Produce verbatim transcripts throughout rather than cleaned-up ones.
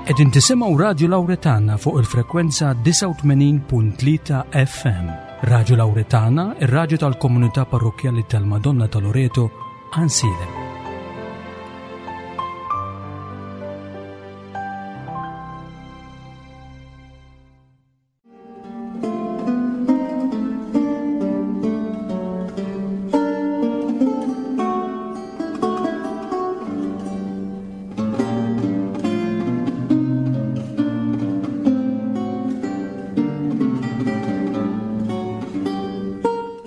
Qegħdin tisimgħu Radio Lauretana fuq il-frekwenza disgħa u tmenin punt tlieta F M. Radio Lauretana, ir-radju tal-komunità parrokjali tal-Madonna ta' Loreto, Għajnsielem.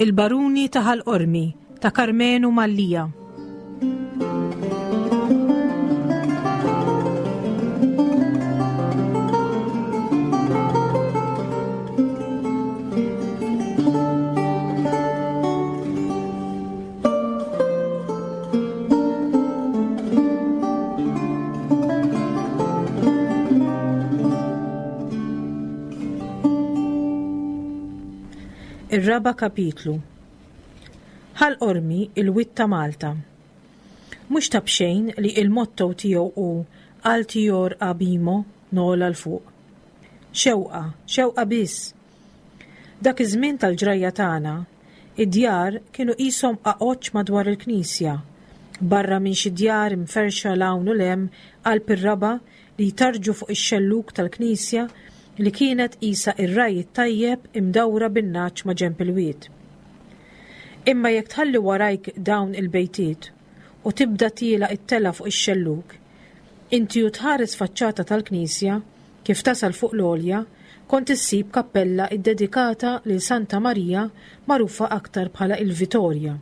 Il-Baruni ta' Ħal Qormi ta' Karmenu Mallia. Ir-raba kapitlu. Ħal Qormi, il-wied ta' Malta. Mhux ta' b'xejn li il-motto tiegħu hu "Altior Abimo", nogħla 'l fuq. Xewqa, xewqa biss. Dak iż-żmien tal-ġrajja tagħna, id-djar kienu qishom qaqoċċ madwar il-knisja, barra minn xi djar imferxa 'l hawn u 'l hemm qalb ir-raba' li jtarġu fuq ix-xelluk tal-knisja li kienet qisha ir-ragħaj it-tajjeb imdawra bin-nagħaġ ma' ġenb il-wied. Imma jekk tħalli warajk dawn il-bejtiet u tibda tiela' it-tela fuq ix-xelluk, inti u tħares faċċata tal-knisja kif tasal fuq l-għolja, kont issib kappella iddedikata lil Santa Marija, magħrufa aktar bħala il-Vitorja,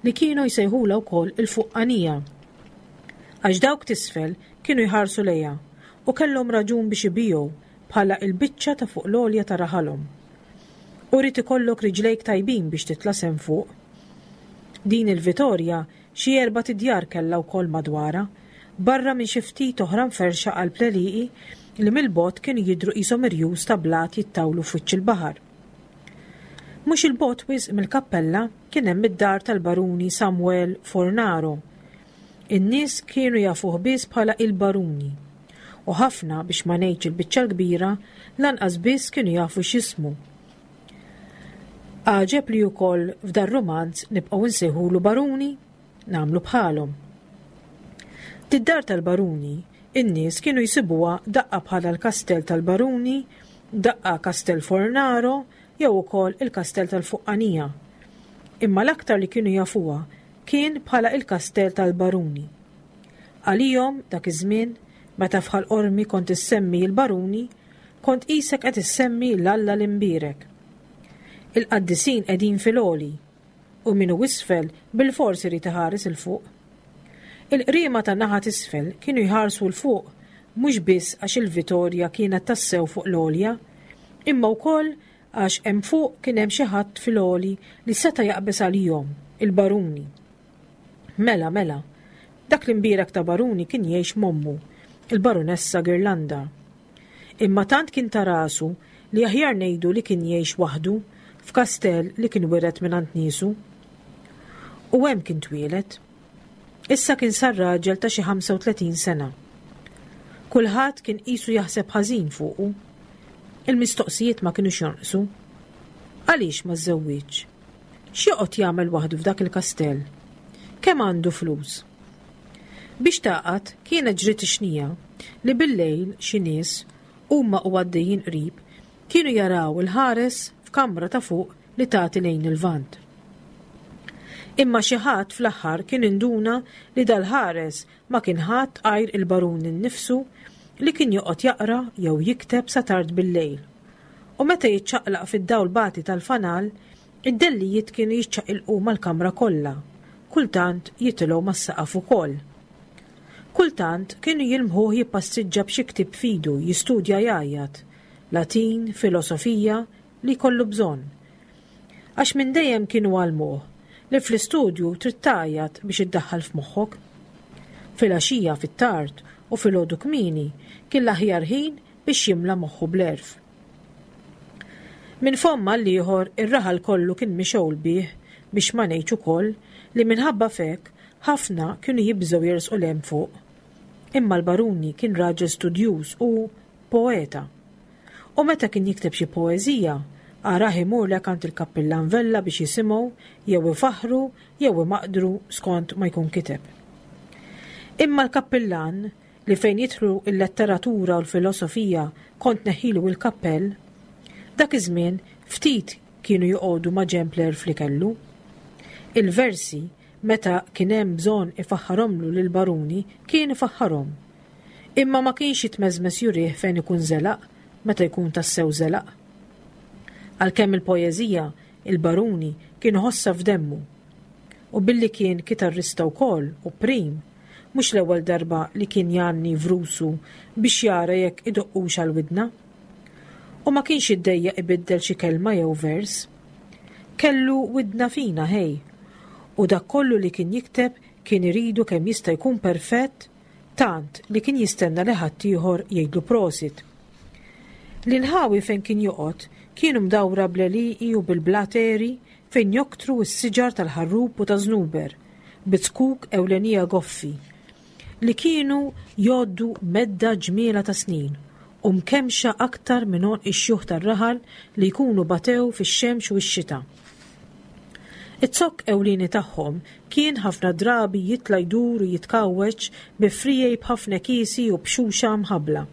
li kienu jsejħula wkoll il-Fuqqanija. Għax dawk t'isfel kienu jħarsu lejha u kellhom raġun biex ibiegħu bħala il-biċċa ta' fuq l-għolja ta' raħalhom. U rrid ikollok riġlejk tajbin biex titla' s'hemm fuq. Din il-Vitorja xi erba' tidjar kellha wkoll madwarha, barra minn xi ftit oħra mferxa qalb l-għelieqi li mill-bogħod kienu jidhru qishom irjus ta' blat jittawlu f'wiċċ il-baħar. Mhux 'il bogħod wisq mill-kappella kien hemm id-dar tal-Baruni Samuel Fornaro. In-nies kienu jafuh biss bħala il-Baruni. U ħafna, biex ma ngħidx il-biċċa l-kbira, lanqas biss kienu jafu x'ismu. Għaġeb li wkoll f'dar rumanz nibqgħu nsejħulu Baruni, nagħmlu bħalhom. Did-dar tal-Baruni, in-nies kienu jsibuha daqqa bħala l-Kastell tal-Baruni, daqqa Kastell Fornaro, jew ukoll il-Kastell tal-Fuqqanija. Imma l-aktar li kienu jafuha kien bħala il-Kastell tal-Baruni. Għalihom dak iż-żmien, meta f'Ħal Qormi kont issemmi l-Baruni, kont qisek qed issemmi l-Alla l-Imbierek. Il-qaddisin qegħdin fil-għoli u min hu isfel bil-fors irid iħares 'il fuq. Il-qriema ta' naħa t'isfel kienu jħarsu 'l fuq mhux biss għax il-Vitorja kienet tassew fuq l-għolja, imma wkoll għax hemm fuq kien hemm xi ħadd fil-għoli li seta' jaqbeż għalihom, il-Baruni. Mela, mela, dak l-imbierek ta' Baruni kien jgħix m'ommu, il-Barunessa Girlanda. Imma tant kien ta' rasu li aħjar ngħidu li kien jgħix waħdu f'kastell li kien wiret minn għand niesu. U hemm kien twieled. Issa kien sar raġel ta' xi ħamsa u tletin sena. Kulħadd kien qisu jaħseb ħażin fuqu. Il-mistoqsijiet ma kinux jonqsu. Għaliex ma żżewwiġx? X'joqgħod jagħmel waħdu f'dak il-kastell? Kemm għandu flus? Biex taqgħad kienet ġriet ix-xnija li bil-lejl xi nies huma u għaddejjin qrib kienu jaraw il-ħares f'kamra ta' fuq li tagħti lejn il-vant. Imma xi ħadd fl-aħħar kien induna li dal-ħares ma kien ħadd għajr il-barun innifsu, li kien joqgħod jaqra jew jikteb sa tard bil-lejl. U meta jiċċaqlaq fid-dawl bati tal-fanal, id-dellijiet kienu jiċċaqilqu mal-kamra kollha, kultant jitilgħu mas-saqaf ukoll. Kultant kienu jilmħuh jippassiġġa b'xi ktieb f'idu jistudja jgħajjat, Latin, filosofija, li kollu bżonn. Għax minn dejjem kienu għallmuh li fl-istudju trid tgħajjat biex iddaħħal f'moħħok. Filgħaxija fit-tard u filgħodu kmieni kien l-aħjar ħin biex jimla moħħu bl-għerf. Minn fomm għall-ieħor ir-raħal kollu kien mixgħul bih, biex ma ngħidx ukoll li minħabba f'hekk ħafna kienu jibżgħu jersqu 'l hemm fuq. Imma l-baruni kien raġel studjuż u poeta. U meta kien jikteb xi poeżija, arah imurlek għand il-kappillan Vella biex jisimgħu jew ifaħħru jew imaqdru skont ma jkun kiteb. Imma l-kappillan li fejn jidħlu il-letteratura u l-filosofija kont neħilu il-kappell, dak iż-żmien ftit kienu joqogħdu ma' ġenb l-għerf li kellu. Il-versi meta kien hemm bżonn ifaħħarhomlu lill-baruni kien ifaħħarhom. Imma ma kienx jitmeżmes jurih fejn ikun żelaq meta jkun tassew żelaq. Għalkemm il-poeżija, il-baruni kien ħossha f'demmu. U billi kien kitarrista wkoll u prim, mhux l-ewwel darba li kien jgħanni vrusu biex jara jekk idoqqux għal widna. U ma kienx iddejjaq ibiddel xi kelma jew vers. Kellu widna fina ħej, u dak kollu li kien jikteb kien iridu kemm jista' jkun perfett, tant li kien jistenna li ħaddieħor jgħidlu prosit. L-inħawi fejn kien joqgħod kienu mdawra bl-għelieqi u bil-blateri fejn joktru s-siġar tal-ħarrub u ta' żnuber, bi zkuk ewlenija goffi, li kienu jgħoddu medda ġmiela ta' snin u mkemxa aktar minn għonq ix-xjuħ tar-raħal li jkunu batew fix-xemx u x-xita. Iz-zokk ewlieni tagħhom kien ħafna drabi jitla' jdur u jitkawweġ bi friegħi b'ħafna kiesi u b'xuxa mħabbla.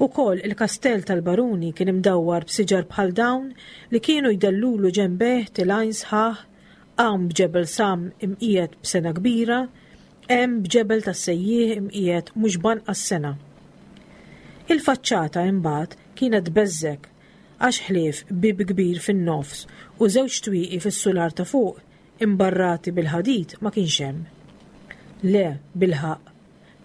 Ukoll il-kastell tal-baruni kien imdawwar b'siġar bħal dawn li kienu jdellulu ġenbeh tilgħin sħaħ, hawn b'ġebel sam imqiegħed b'sengħa kbira, hemm b'ġebel tas-sejjieħ imqiegħed mhux b'anqas sengħa. Il-faċċata imbagħad kienet tbeżżek għax ħlief bieb kbir fin-nofs u żewġ twieqi fis-sular ta' fuq imbarrati bil-ħadid ma kienx hemm. Le, bilħaqq,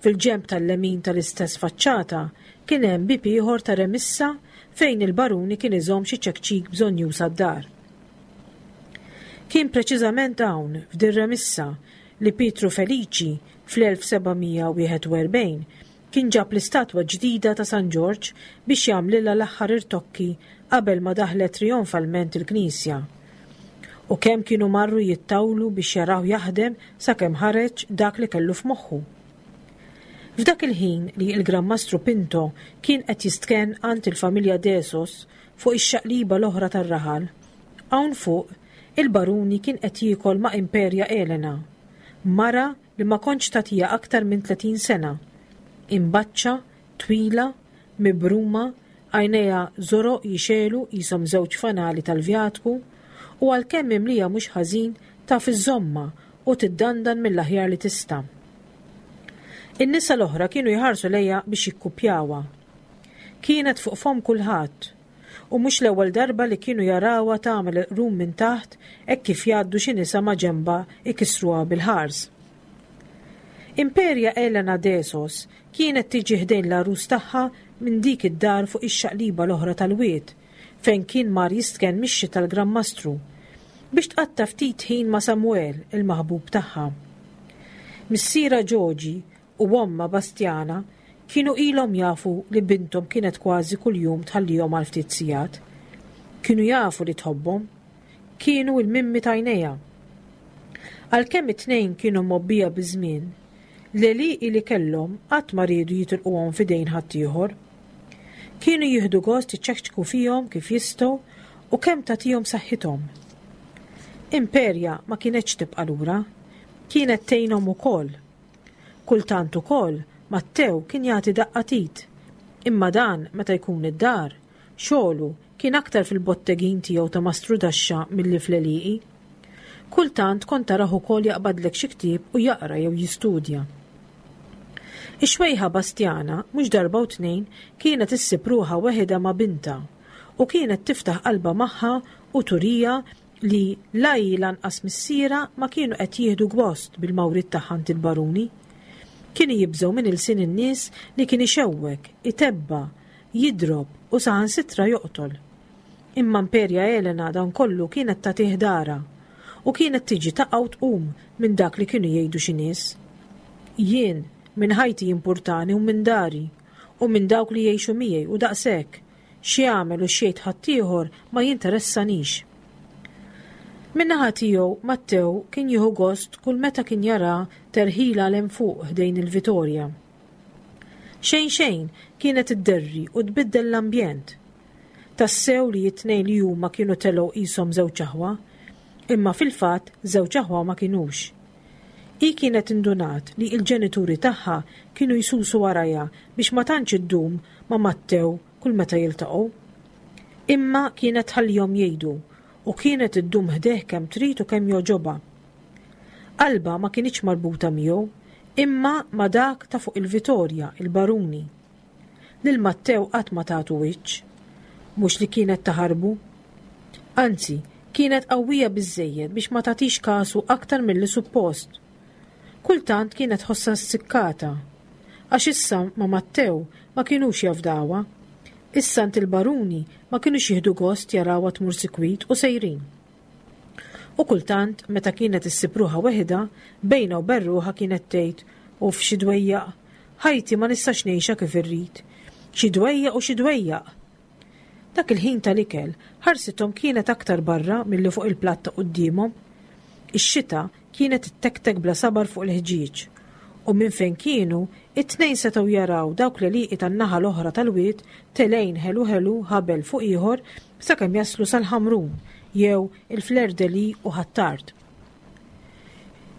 fil-ġenb tal-lemin tal-istess faċċata kien hemm bieb ieħor ta' remissa fejn il-baruni kien iżomm xi ċekċik bżonnjuż għad-dar. Kien preċiżament hawn f'din remissa li Pietru Feliċi fl-elf seba' mija wieħed u erbgħin kien ġab l-istatwa ġdida ta' San Ġorġ biex jagħmlilha l-aħħar irtokki qabel ma daħlet trionfalment il-knisja. U kemm kienu marru jittawlu biex jaraw jaħdem sakemm ħareġ dak li kellu f'moħħu. F'dak il-ħin li l-Gran Mastru Pinto kien qed jistkenn għand il-familja Desos fuq ix-xaqliba l-oħra tar-raħal, hawn fuq il-baruni kien qed jiekol ma' Imperia Elena, mara li ma kontx tagħtiha aktar minn tletin sena, imbaċċa, twila, mibruma, għajnejha żoroq jixelu qishom żewġ fanali tal-vjatku, u għalkemm imlija mhux ħażin taf iżżommha u tiddandan mill-aħjar li tista'. In-nisa l-oħra kienu jħarsu lejha biex jikkupjawha. Kienet fuq fom kulħadd, u mhux l-ewwel darba li kienu jarawha tagħmel il-qrun minn taħt hekk kif jgħaddu xi nisa ma' ġenbha ikissruha bil-ħars. Imperia Elena Desos kienet tiġi ħdejn l-għarus tagħha minn dik id-dar fuq ix-xaqliba l-oħra tal-wied, fejn kien mar jistkenn mix-xita tal-Gran Mastru, biex tqatta' ftit ħin ma' Samuel, il-maħbub tagħha. Missiera Ġoġi u omma Bastiana kienu ilhom jafu li binthom kienet kważi kuljum tħallihom għal ftit sigħat. Kienu jafu li tħobbhom. Kienu il-mimmi t'għajnejha. Għalkemm it-tnejn kienu mgħobbija biż-żmien, l-għelieqi li kellhom qatt ma riedu jitilquhom f'idejn ħaddieħor. Kienu jieħdu gost iċċekċku fihom kif jistgħu u kemm tagħtihom saħħithom. Imperia ma kienetx tibqa' lura, kienet tgħinhom ukoll. Kultant ukoll Mattew kien jagħti daqqa tit, imma dan meta jkun id-dar, xogħlu kien aktar fil-bottegin tiegħu ta' mastru daxxa milli fl-għelieqi. Kultant kont tarah ukoll jaqbadlek xi ktieb u jaqra jew jistudja. Ix-xwejħa Bastiana mhux darba u tnejn kienet issib ruħha weħidha ma' binta u kienet tiftaħ qalbha magħha u turija li la hi lanqas missiera ma kienu qed jieħdu gost bil-mawrit tagħha għand il-baruni. Kienu jibżgħu minn ilsien in-nies li kien ixewwek, itebba, jidrob u saħansitra joqtol. Imma Imperia Elena dan kollu kienet tagħtih dara u kienet tiġi taqa' u tqum minn dak li kienu jgħidu xi nies. Jien minn ħajti jimpurtani u minn dari u minn dawk li jgħixu miegħi u daqshekk, x'jagħmel u x'jgħid ħaddieħor ma jinteressanix. Min-naħa tiegħu Mattew kien jieħu gost kull meta kien jara terħila 'l hemm fuq ħdejn il-Vitorja. Xejn xejn kienet idderri u tbiddel l-ambjent. Tassew li t-tnejn li huma kienu telgħu qishom żewġ aħwa, imma fil-fatt żewġ aħwa ma kinux. Hi kienet indunat li l-ġenituri tagħha kienu jsusu warajha biex ma tantx iddum ma' Mattew kull meta jiltaqgħu. Imma kienet tħallihom jgħidu u kienet iddum ħdejh kemm trid u kemm jogħġobha. Qalbha ma kinitx marbuta miegħu, imma ma' dak ta' fuq il-Vitorja, il-Baruni. Lil Mattew qatt ma tagħtu wiċċ, mhux li kienet taħarbu. Anzi, kienet qawwija biżżejjed biex ma tagħtix kasu aktar milli suppost. Kultant kienet tħossha ssikkata, għax issa ma' Mattew ma kinux jafdawha. Issa għand il-Baruni ma kinux jieħdu gost jarawha tmur sikwit u sejrin. U kultant, meta kienet issib ruħha weħidha, bejnha u bejn ruħha kienet tgħid, Uff xi dwejjaq, ħajti ma nistax ngħixha kif irrid. Xi dwejjaq u xi dwejjaq! Dak il-ħin tal-ikel, ħarsithom kienet aktar barra milli fuq il-platt ta' quddiemhom. Ix-xita kienet ittektek bla sabar fuq il-ħġieġ, u minn fejn kienu, it-tnejn setgħu jaraw dawk l-għelieqi tan-naħa l-oħra tal-wied telgħin ħelu ħelu ħabel fuq ieħor sakemm jaslu sal-Ħamrun jew il-Fleur-de-Lys u Ħ'Attard.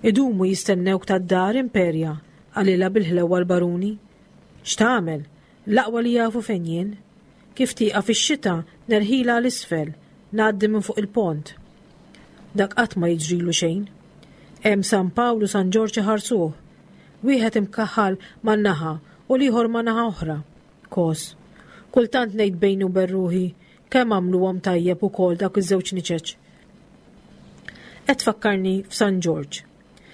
Idumu jistennewk tad-dar, Imperja, qalilha bil-ħlewwa l-Baruni. X'tagħmel? L-aqwa li jafu fejn jien. Kif tieqaf ix-xita nerħilha 'l isfel, ngħaddi minn fuq il-pont. Dak qatt ma jiġrilu xejn. Hemm San Pawl u San Ġorġ iħarsuh. Wieħed imkaħħal ma' naħa u l-ieħor ma' naħa oħra. Kos. Kultant ngħid bejni u bejn ruħi kemm għamluhom tajjeb ukoll dawk iż-żewġ niċeċ. Qed tfakkarni f'San Ġorġ.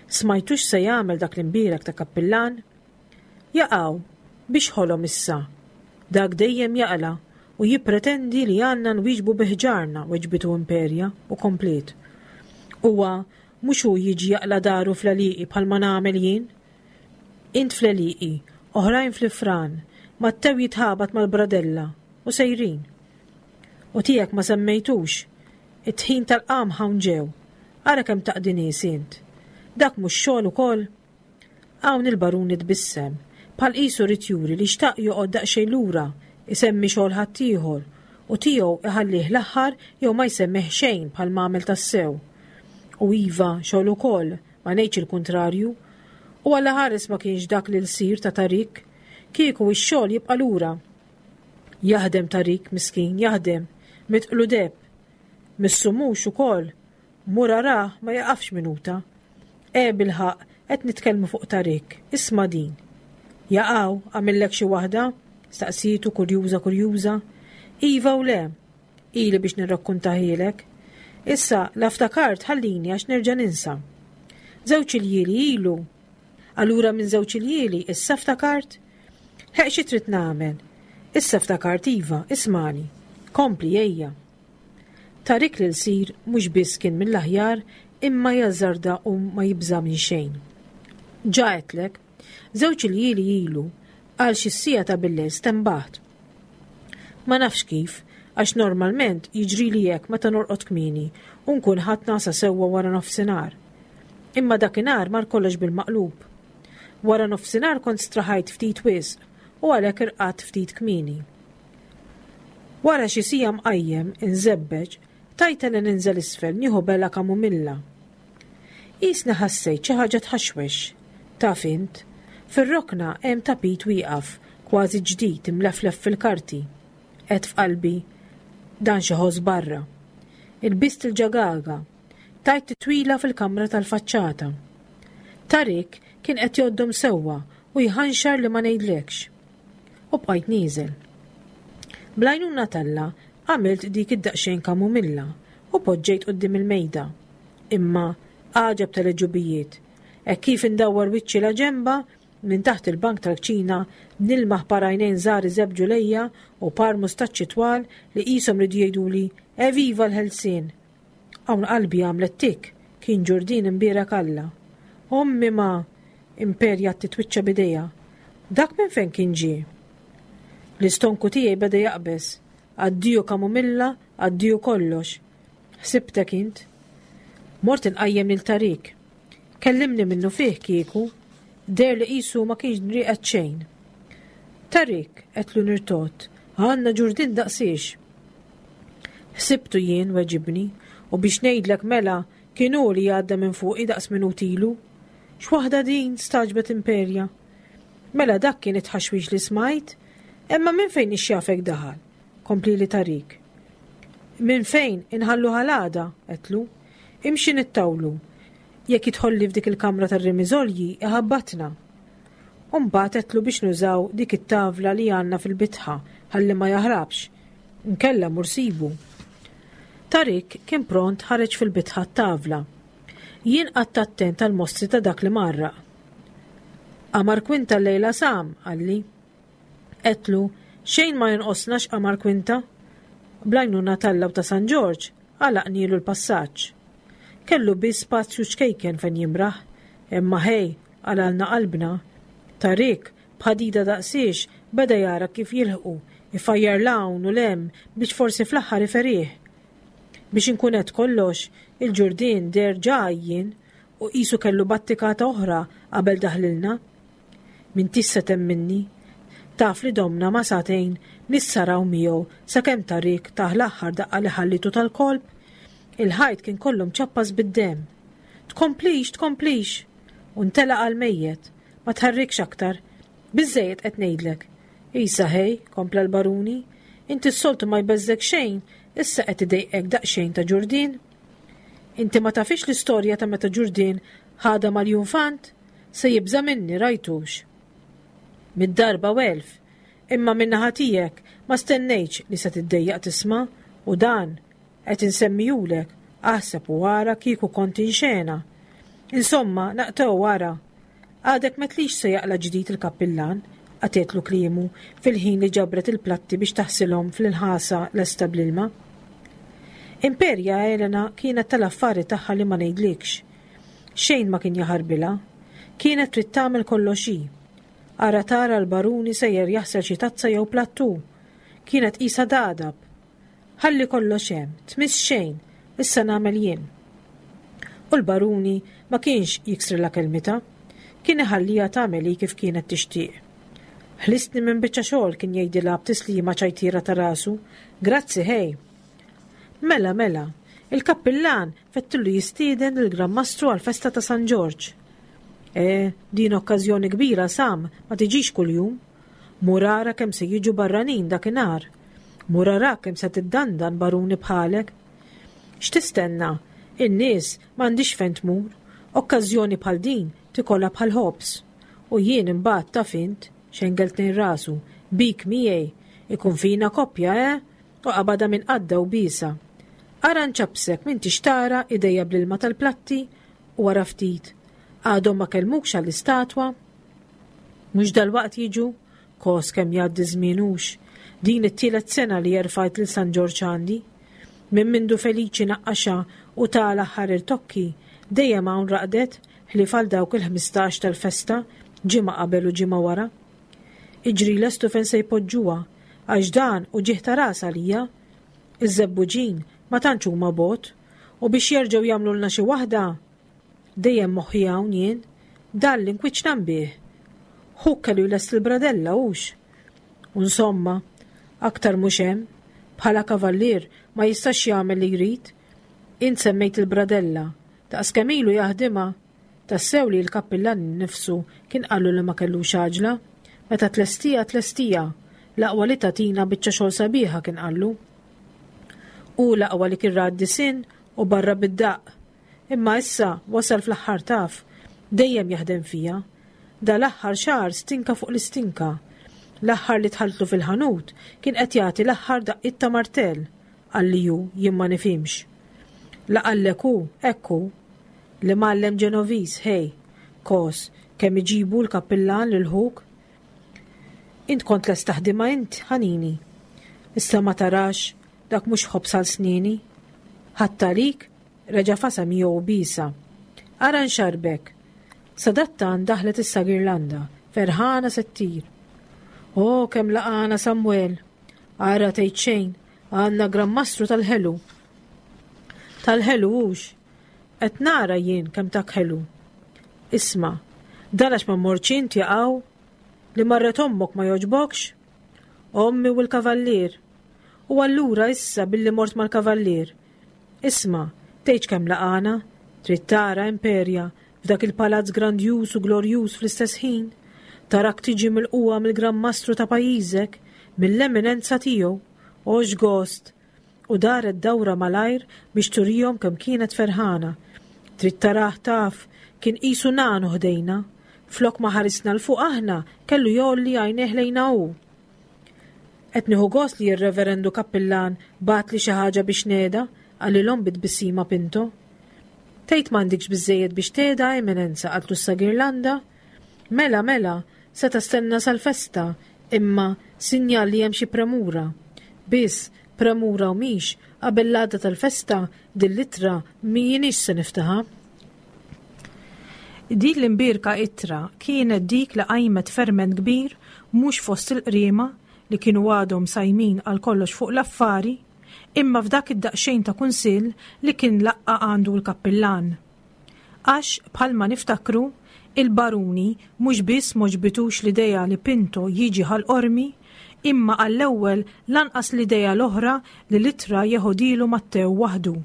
Smajtux se jagħmel dak l-imbierek ta' kappillan? Jaqaw, biex ħolom issa. Dak dejjem jaqla' u jippretendi li għandna nwieġbu bi ħġarna, weġbitu Imperja u kompliet. Huwa mhux hu jiġi jaqla' daru fl-għelieqi bħalma nagħmel jien? Int fl-għelieqi, oħrajn fl-ifran, Mattew jitħabat mal-bradella u sejrin. U tiegħek ma semmejtux, it-tħin tal-qamħ hawn ġew, ara kemm taqdi nies int. Dak mhux xogħol ukoll? Hawn il-Baruni tbissem, bħal qisu ried juri li xtaq joqgħod daqsxejn lura, isemmi xogħol ħaddieħor, u tiegħu iħallih l-aħħar jew ma jsemmih xejn bħal m'għamel tassew. U iva, xogħol ukoll, ma ngħidx il-kuntrarju. U Alla ħares ma kienx dak li l-sir ta' Tarik, kieku x-xogħol jibqa' lura. Jaħdem Tarik, miskin, jaħdem, mitqlu deb. Missu mhux ukoll, mur arah ma jaqafx minuta. E bilħaqq, qed nitkellmu fuq Tarik, isma' din. Jaqaw, għamillek xi waħda? Staqsietu kurjuża kurjuża. Iva u le, ili biex nirrakkuntahielek. Issa, la ftakart ħallini għax nerġa' ninsa. Żewġ iljieli ilu. Allura minn żewġ iljieli issa ftakart? Ħeq xi trid nagħmel? Issa ftakart iva, ismani. Kompli ejja. Tarik lil sir mhux biss kien mill-aħjar imma jażżarda u ma jibża' minn xejn. Ġa għedtlek, żewġ iljieli ilu għal xi siegħa ta' billejl stenbaħt. Ma nafx kif, għax normalment jiġrili hekk meta norqod kmieni u nkun ħadt nagħsa sewwa wara nofsinhar. Imma dakinhar mar kollox bil-maqlub. Wara nofsinhar kont straħajt ftit wisq u għalhekk irqadt ftit kmieni. Wara xi siegħa mqajjem inżebbeġ, tajta li ninżel isfel nieħu bela kamumilla. Qisni ħassejt xi ħaġa tħaxwex. Taf int, fir-rokna hemm tapit wieqaf, kważi ġdid imleflef fil-karti. Għedt f'qalbi, dan xi ħoss barra. Ilbist il-ġagaga, tajt titwila fil-kamra tal-faċċata. Tarik kien qed joddom sewwa u jħanxar li ma ngħidlekx. U bqajt nieżel. Bl-għajnuna t'Alla għamilt dik id-daqsxejn kamumilla u poġġejt quddiem il-mejda. Imma għaġeb tal-ġubijiet. Hekk kif indawwar wiċċi la ġemba, minn taħt il-bank tal-kċina nilmaħ par għajnejn żgħar iżebbġu lejja u par mustaċċi twal li qishom ridu jgħiduli Eviva l-ħelsien. Hawn qalbi għamlet tik, kien ġurdin imbierek Alla. Ommi ma, Imperja titwiċċa bidejha. Dak minn fejn kien ġie? L-istonku tiegħi beda jaqbeż. Addiju kamumilla, addiju kollox. Ħsibtek int. Mort inqajjem lil Tarik. Kellimni minnu fih kieku, deher li qisu ma kienx rieqed xejn. Tarik, għedtlu nirtogħod, għandna ġurdien daqsiex. Ħsibtu jien, weġibni, u biex ngħidlek mela kien hu li għadda minn fuqi daqs minut ilu. X'waħda din, stagħġbet Imperja. Mela dak kien it-ħaxwix li smajt, imma minn fejn ixjafek daħal, komplieli Tarik. Minn fejn inħallu ħalada, għedtlu, imxi nittawlu. Jekk jidħolli f'dik il-kamra tar-rimiżolji iħabbatna. U mbagħad għedtlu biex nużaw dik it-tavla li għandna fil-bitħa ħalli ma jaħrabx. Nkella mur sibu. Tarik kien pront ħareġ fil-bitħa t-tavla. Jien qatt attent tal-mostri ta' dak li marraq. Qamar kwinta l-lejla Sam, qalli. Għedtlu, xejn ma jonqosna x'qamar kwinta. Bl-għajnuna t'Alla u ta' San Ġorġ, għalaqnielu l-passaġġ. Kellu biss spazju ċkejken fejn jimraħ, imma ħej, għalalna qalbna. Tarik, b'ħadida daqsiex, beda jara kif jilħqu, ifajjar l-hawn u l-hemm biex forsi fl-aħħar iferih. Biex inkun qed kollox, il-ġurdien deher ġa għajjien u qisu kellu battikata oħra qabel daħlilna. M'intix se temminni. Taf li domna ma sagħtejn nissaraw miegħu sakemm Tarik tah l-aħħar daqqa li ħallitu tal-kolb. Il-ħajt kien kollu mċappas bid-demm. Tkomplix, tkomplix. U ntelaq għal-mejjet. Ma tħarrikx aktar. Biżżejjed qed ngħidlek. Isa ħej, kompla l-baruni, inti s-soltu ma jbeżżek xejn, issa qed idejqek daqsxejn ta' ġurdien. Inti ma tafix l-istorja ta' meta ġurdien ħadha mal-Junfant? Se jibża' minni rajtux. Mid-darba u elf, imma min-naħa tiegħek ma stennejtx li se tiddejjaq tisma' u dan qed insemmijulek, aħseb u ara kieku kont inxena. Insomma, naqtew wara. Għadek m'għedtlix se jaqla' ġdid il-kappillan, qatgħetlu kliemu fil-ħin li ġabret il-platti biex taħsilhom fl-inħasa lesta bl-ilma. Imperja Elena kienet tal-affari tagħha li ma ngħidlikx. Xejn ma kien jaħarbilha. Kienet trid tagħmel kollox hi. Ara tara l-baruni sejjer jaħsel xi tazza jew plattu. Kienet qisha dadab. Ħalli kollox hemm, tmiss xejn, issa nagħmel jien. U l-baruni ma kienx jiksrilha kelmitha. Kien iħallija tagħmel hi kif kienet tixtieq. Ħlistni minn biċċa xogħol kien jgħidilha b'tislima ċajtiera ta' rasu. Grazzi ħej. Mela, mela, il-kappillan fettillu jistieden lill-Gran Mastru għal-festa ta' San Ġorġ. E, din okkażjoni kbira Sam ma tiġix kuljum. Mur ara kemm se jiġu barranin dakinhar. Mur ara kemm se tiddandan baruni bħalek. X'tistenna? In-nies m'għandix fejn tmur. Okkażjoni bħal din tikollha bħal ħobż. U jien imbagħad taf int, xengel tnejn rasu, bik miegħi, ikun fina koppja, eh? U qabadha minn qadda u bisa. Ara nċabsek m'intix tara idejja bl-ilma tal-platti u wara ftit. Għadhom ma kellmukx għall-istatwa? Mhux dalwaqt jiġu? Kos kemm jgħaddi żmien hux. Din it-tielet sena li jerfajt lil San Ġorġ għandi. Minn mindu Feliċi naqqaxa u ta l-aħħar irtokki, dejjem hawn raqdet ħlief għal dawk il-ħmistax tal-festa, ġimgħa qabel u ġimgħa wara. Iġri lestu fejn se jpoġġuha, għax dan u ġieħ ta' ras għalija. Iż-żebbuġin ma tantx huma bot, u biex jerġgħu jagħmlulna xi waħda. Dejjem moħħi hawn jien, dan l-inkwiċ bih. Ħuk kellu jlest il-bradella hux. U insomma, aktar mhux hemm, bħala kavallier ma jistax jagħmel li jrid. Int semmejt il-bradella, daqs kemm ilu jaħdimha. Tassew li l-kappillan innifsu kien qallu li ma kellux għaġla. Meta tlestija tlestija, l-aqwa li tagħtina biċċa xogħol sabiħa kien qallu. U l-aqwa li kien ra d-disinn u barra bid-daqq. Imma issa wasal fl-aħħar taf, dejjem jaħdem fija. Da l-aħħar xahar stinka fuq l-istinka. L-aħħar li dħaltlu fil-ħanut kien qed jagħti l-aħħar daqqiet ta' martell, qalli hu jien ma nifhimx. La qallek hu, hekk hu. Li mgħallem Ġenoviż, ħej, kos, kemm iġibu l-kappillan lil ħuk? Int kont lest taħdimha int, ħanini. Issa ma tarax, dak mhux ħobż għal snieni. Ħadd għalik, reġa' fasa miegħu bisa. Ara nxarbek. Sadattan daħlet issa Girlanda, ferħana se ttir. O, kemm laqana Samuel. Ara tgħid xejn, għandna Gran Mastru tal-ħelu. Tal-ħelu hux. Qed nara jien kemm tak ħelu. Isma', dan għax ma mortx int jaqaw? Li marret ommok ma jogħġbokx? Ommi u l-kavallier. U allura issa billi mort mal-kavallier. Isma', tgħidx kemm laqana, trid tara Imperja f'dak il-palazz grandjuż u glorjuż fl-istess ħin, tarak tiġi milqugħa mill-Gran Mastru ta' pajjiżek, mill-eminenza tiegħu. O x'gost! U daret dawra malajr biex turihom kemm kienet ferħana. Trid tarah taf, kien qisu nanu ħdejna. Flok ma ħarisna 'l fuq aħna, kellu jgħolli għajnejh lejna hu. Qed nieħu gost li r-Reverendu Kappillan bagħatli xi ħaġa biex ngħedha, qalilhom bi tbissima Pinto. Tgħid m'għandikx biżżejjed biex tgħedha, Eminenza, qaltlu sa Girlanda. Mela, mela, seta' stenna sal-festa, imma sinjal li hemm xi premura. Biss, premura u mhix, qabel l-għada tal-festa, din l-ittra m'iniex se niftaħha. Din l-imbierka ittra kienet dik li qajmet ferment kbir mhux fost il-qriema li kienu għadhom sajmin għal kollox fuq l-affari, imma f'dak id-daqsxejn ta' kunsill li kien laqqa' għandu l-kappillan. Għax, bħalma niftakru, il-baruni mhux biss m'għoġbitux l-idea li Pinto jiġi Ħal Qormi, imma għall-ewwel lanqas l-idea l-oħra li l-ittra jeħodilu Mattew waħdu.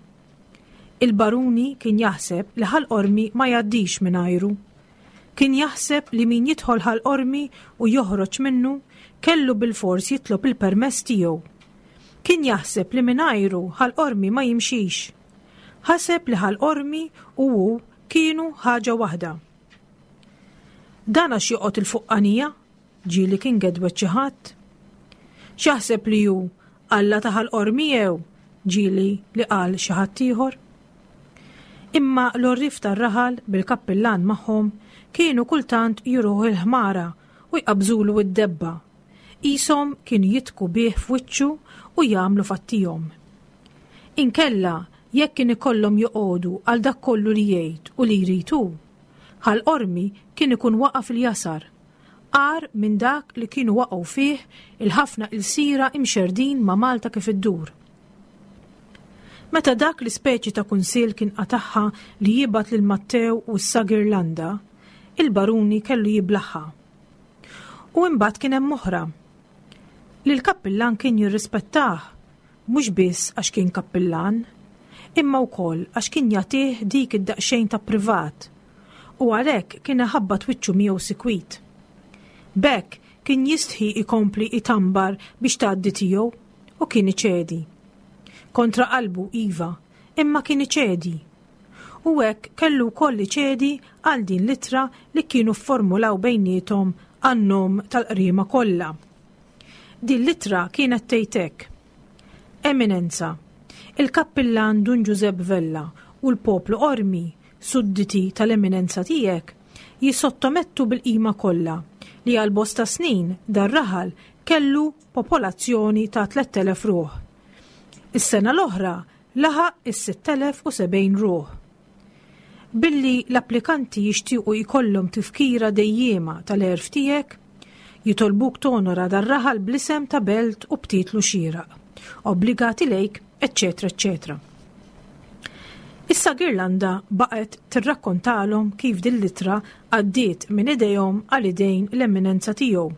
Il-baruni kien jaħseb li Ħal Qormi ma jgħaddix mingħajru. Kien jaħseb li min jidħol Ħal Qormi u joħroġ minnu kellu bilfors jitlob il-permess tiegħu. Kien jaħseb li mingħajru Ħal Qormi ma jimxix. Ħaseb li Ħal Qormi u hu kienu ħaġa waħda. Dan għax joqgħod il-fuqqanija, ġieli kien gedwet xi ħadd. X'jaħseb li hu Alla ta' Ħal Qormi jew ġieli li qal xi ħadd ieħor. Imma l-għorrief tar-raħal bil-kappillan magħhom kienu kultant juruh il-ħmara u jqabżulu d-debba. Qishom kienu jitku bih f'wiċċu u jagħmlu fattihom. Inkella jekk kien ikollhom joqogħdu għal dak kollu li jgħid u li jrid hu, Ħal Qormi kien ikun waqa' fil-jasar, agħar minn dak li kienu waqgħu fih il-ħafna ilsira imxerdin ma' Malta kif iddur. Meta dak l-ispeċi ta' kunsill kien qatagħha li jibgħat lil Mattew u s-Sa Girlanda, il-baruni kellu jiblaħħa. U imbagħad kien hemm oħra. Li l-kappillan kien jirrispettah, mhux biss għax kien kappillan, imma wkoll għax kien jagħtih dik id-daqsxejn ta' privat, u għalhekk kien iħabbat wiċċu miegħu sikwit. B'hekk kien jistħi ikompli itambar biex tgħaddi tiegħu u kien iċedi. Kontra qalbu iva, imma kien iċedi. U hekk kellu wkoll iċedi għal din l-ittra li kienu fformulaw bejniethom għan-nom tal-qriema kollha. Din l-ittra kienet tgħid hekk: Eminenza, il-kappillan Dun Ġużepp Vella u l-poplu Qormi, sudditi tal-eminenza tiegħek, jissottomettu bil-qima kollha li għal bosta snin dar-raħal kellu popolazzjoni ta' tlett elef ruħ. Is-sena l-oħra laħaq is-sitt elef u sebgħin ruħ. Billi l-applikanti jixtiequ jkollhom tifkira dejjiema tal-għerf tiegħek, jitolbuk tonora dar-raħal bl-isem ta' belt u b'titlu xieraq, obbligati lejk, eċċetera, eċċetera. Issa Girlanda baqgħet tirrakkontalhom kif din l-ittra għaddiet minn idejhom għal idejn l-eminenza tiegħu.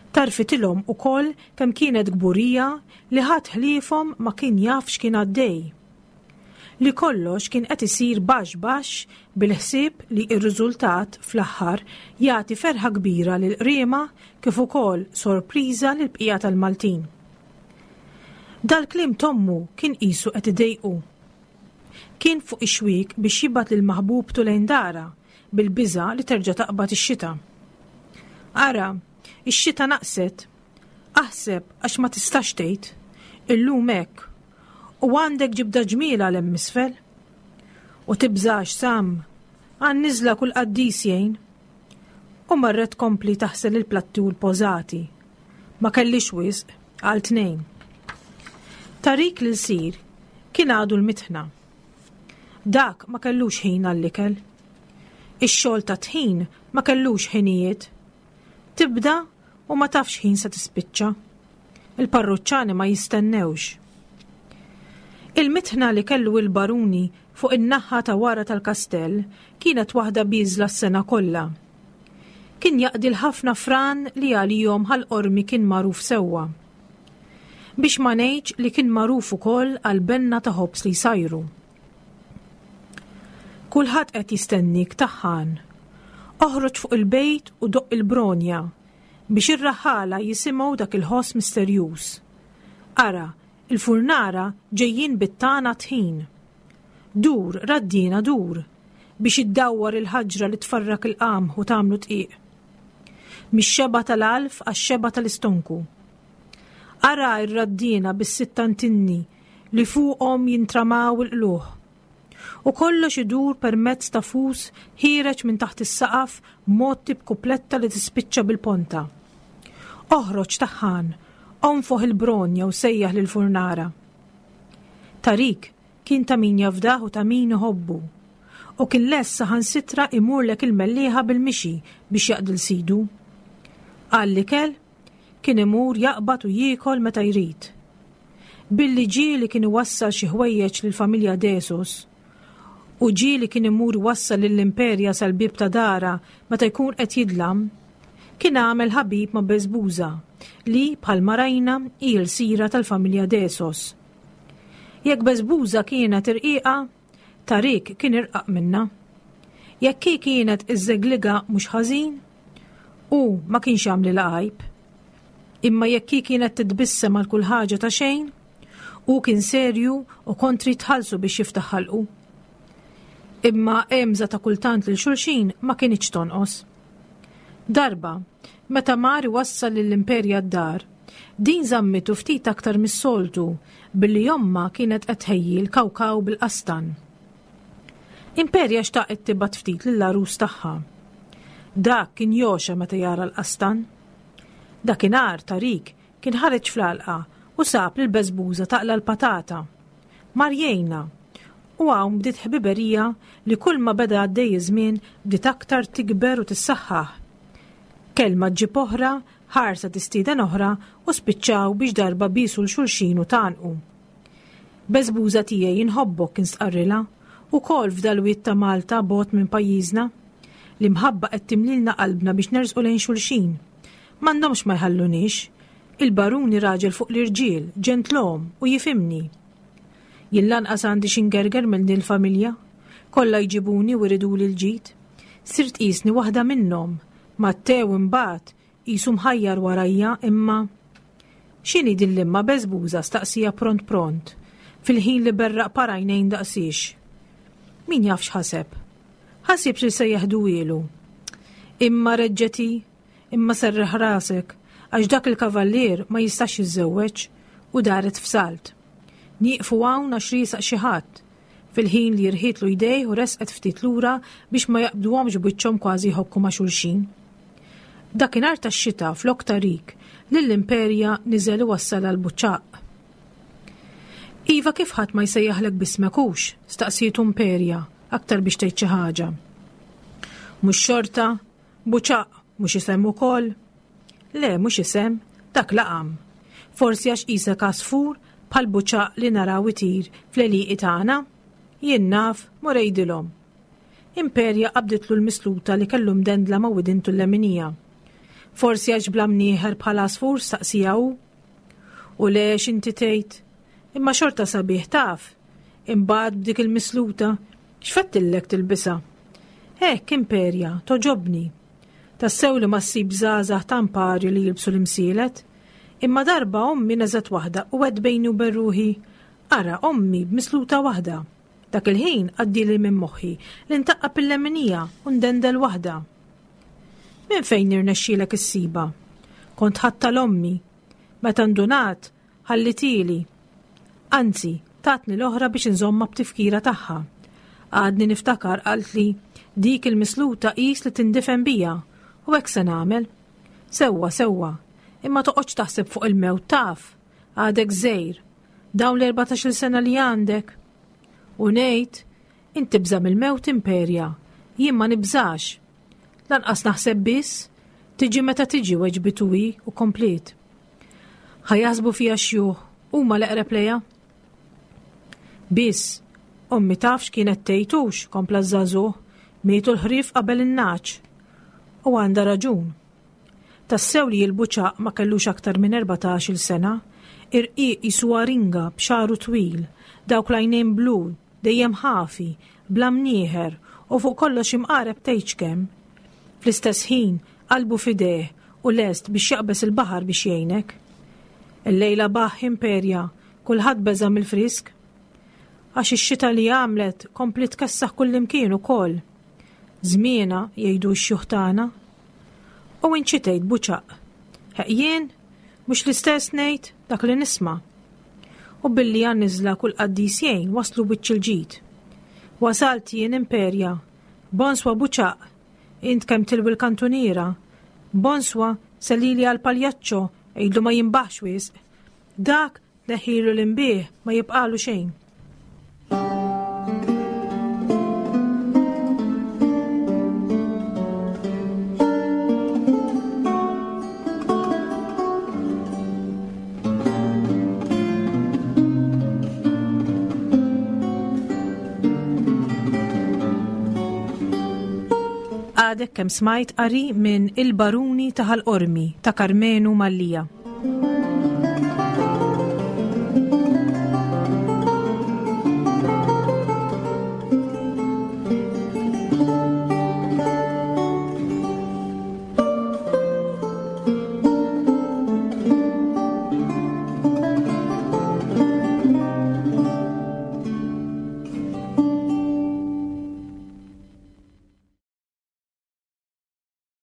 Tarfitilhom ukoll kemm kienet kburija li ħadd ħliefhom ma kien jaf x'kien għaddej. Li kollox kien qed isir baxx baxx bil-ħsieb li r-riżultat fl-aħħar jagħti ferħa kbira lil qriema kif ukoll sorpriża lil bqija tal-Maltin. Dal-kliem tommu kien qisu qed idejqu. Kien fuq ix-xwiek biex jibgħat lil maħbubtu lejn dara bil-biża' li terġa' taqbad ix-xita. Ara, ix-xita naqset. Aħseb għax ma tistax tgħid. Illum hekk. U għandek ġibda ġmiela 'l hemm isfel. U tibżax, Sam, għan-niżla kull qaddis jgħin. U marret tkompli taħsel il-platti u l-pożati. Ma kellix wisq, għal tnejn. Tarik l-sir kien għadu l-mitħna. Dak ma kellux ħin għall-ikel. Ix-xogħol ta' tħin ma kellux ħinijiet. Tibda u ma tafx ħin se tispiċċa. Il-parruċċani ma jistennewx. Il-mitħna li kellu il-baruni fuq in-naħa ta' wara tal-kastell kienet waħda bieżla s-sena kollha. Kien jaqdi l-ħafna fran li għalihom Ħal Qormi kien magħruf sewwa. Biex ma ngħidx li kien magħruf ukoll għal benna ta' ħobż li jsajru. Kulħadd qed jistennik taħħan. Oħroġ fuq il-bejt u doqq il-bronja biex ir-raħħala jisimgħu dak il-ħoss misterjuż. Ara, il-furnara ġejjin bit-tana tħin. Dur, raddina dur, biex iddawwar il-ħaġra li tfarrak il-qamħ u tagħmlu dqiq. Mix-xeba tal-alf għax-xeba tal-istonku. Ara r-raddina bis-sitt antinni li fuqhom jintramaw il-qluħ. U kollox idur permezz ta' fus ħiereġ minn taħt is-saqaf mgħotti b'kupletta li tispiċċa bil-ponta. Oħroġ taħħan, onfoħ il-bronja u sejjaħ lill-furnara. Tarik kien ta' min jafdah u ta' min iħobbu. U kien lest saħansitra imurlek il-Mellieħa bil-mixi biex jaqdi 'l sidu. Għall-ikel, kien imur jaqbad u jiekol meta jrid. Billi ġieli kien iwassal xi ħwejjeġ lill-familja Desus, u ġieli kien imur iwassal lill-Imperja sal-bieb ta' darha meta jkun qed jidlam, kien għamel ħabib ma' Beżbuża li, bħalma rajna, hi l-sira tal-familja Desos. Jekk Beżbuża kienet irqiqa, Tarik kien irqaq minnha. Jekk hi kienet iżżegliga mhux ħażin, hu ma kienx jagħmlilha għajb. Imma jekk hi kienet titbissem għal kull ħaġa ta' xejn, hu kien serju u kont trid tħallsu biex jiftaħ ħalqu. Imma għemża ta' kultant lil xulxin ma kinitx tonqos. Darba, meta mar iwassal lill-Imperja d-dar, din żammitu ftit aktar mis-soltu billi ommha kienet qed tħejji l-kawkaw bil-qastan. Imperja xtaqet tibgħat ftit lill-għarus tagħha. Dak kien jogħxa meta jara l-qastan. Dakinhar Tarik kien ħareġ fl-għalqa u sab lil Beżbuża taqla l-patata. Mar jgħinha u hawn bdiet ħbiberija li kulma beda għaddej iż-żmien bdiet aktar tikber u tissaħħaħ. Kelma ġġib oħra, ħarsa tistieden oħra u spiċċaw biex darba biesu 'l xulxin u tgħannqu. Beżbuża tiegħi inħobbok kien stqarrilha, ukoll f'dal-wied ta' Malta bogħod minn pajjiżna. L-imħabba qed timlilna qalbna biex nersqu lejn xulxin. M'għandhomx ma jħalluniex. Il-baruni raġel fuq l-irġiel, ġentlom u jifhimni. Jien lanqas għandi xi ngerger minn din il-familja. Kollha jġibuni u jriduli l-ġid. Sirt qisni waħda minnhom. Mattew imbagħad qisu mħajjar warajja imma. X'inhi din l-imma Beżbuża staqsija pront pront, fil-ħin li berraq par għajnejn daqsiex. Min jaf x'ħaseb? Ħasibx li se jeħduhielu. Imma reġġet hi, imma serreħ rasek, għax dak il-kavallier ma jistax jiżżewweġ u daret f'salt. Nieqfu hawn għax riesaq xi ħadd, fil-ħin li rħietlu jdejh u resqet ftit lura biex ma jaqbduhomx b'wiċċhom kważi jħokku ma' xulxin. Dakinhar tax-xita flok Tarik lill-Imperja niżel iwassalha l-Buċċaq. Iva kif ħadd ma jsejjaħlek b'ismek hux? staqsietu Imperja, aktar biex tgħid xi ħaġa. Mhux xorta, Buċaq mhux isem ukoll? Le, mhux isem, dak laqam. Forsi għax qisek għasfur bħal buċaq li naraw itir fl-għelieqi tagħna? Jien naf, mur għidilhom. Imperja qabditlu l-misluta li kellu mdendla ma' widintu l-leminija. Forsi għax bla mnieħer bħal għasfur staqsija hu? U le x'inti tgħid? Imma xorta sabiħ taf. Imbagħad b'dik il-misluta, x'fettillek tilbisha? Hekk Imperja, toġobni. Tassew li ma ssib żgħażagħ ta' mparju li jilbsu l-imsielet. Imma darba ommi neżgħet waħda u għedt bejni u bejn ruħi, ara ommi b'misluta waħda. Dak il-ħin għaddieli minn moħħi li ntaqqab il-leminija u ndendel waħda. Minn fejn irnexxielek issibha? Kont ħadtha l-ommi. Meta ndunat, ħallitieli. Anzi, tatni l-oħra biex inżommha b'tifkira tagħha. Għadni niftakar qaltli, dik il-misluta qis li tindifen bija, u hekk se nagħmel. Sewwa, sewwa, imma toqgħodx taħseb fuq il-mewt taf, għadek żgħir, dawn l-erbatax-il sena li għandek. U ngħid, int tibża' mill-mewt Imperja, jien ma nibżax. Lanqas naħseb biss, tiġi meta tiġi weġbitu hi u kompliet. Ħa jaħsbu fija xjuħ, huma l-eqreb lejha. Biss, Ommi taf x'kienet tgħid hux, kompla ż-żagħżugħ, mietu l-ħrief qabel in-nagħaġ. U għandha raġun. Tassew li l-Buċaq ma kellux aktar minn erbatax-il sena, irqiq qisu aringa b'xagħru twil, dawk l-għajnejn blu, dejjem ħafi, bla mnieħer u fuq kollox imqareb tgħidx kemm. Fl-istess ħin, qalbu f'idejh u lest biex jaqbeż il-baħar biex jgħinek. Illejla baħ imperja, kulħadd beża' mill-frisk. Għax ix-xita li għamlet kompliet tkessaħ kullimkien ukoll. Żmienha jgħidu x-xjuħ tagħna. U int xi tgħid Buċaq? Ħeq jien mhux l-istess ngħid dak li nisma'. U billi għan-niżla kull qaddis jgħin waslu wiċċ il-ġid. Wasalt jien imperja. Bonswa Buċaq, int kemm tilwi l-kantuniera. Bonswa sellili għall-paljaċċo għidlu ma jinbaħx wisq. Dak tneħħilu l-inbieħ ma jibqalu xejn. Għadek kemm smajt qari minn Il-Baruni ta' Ħal Qormi ta' Karmenu Mallia.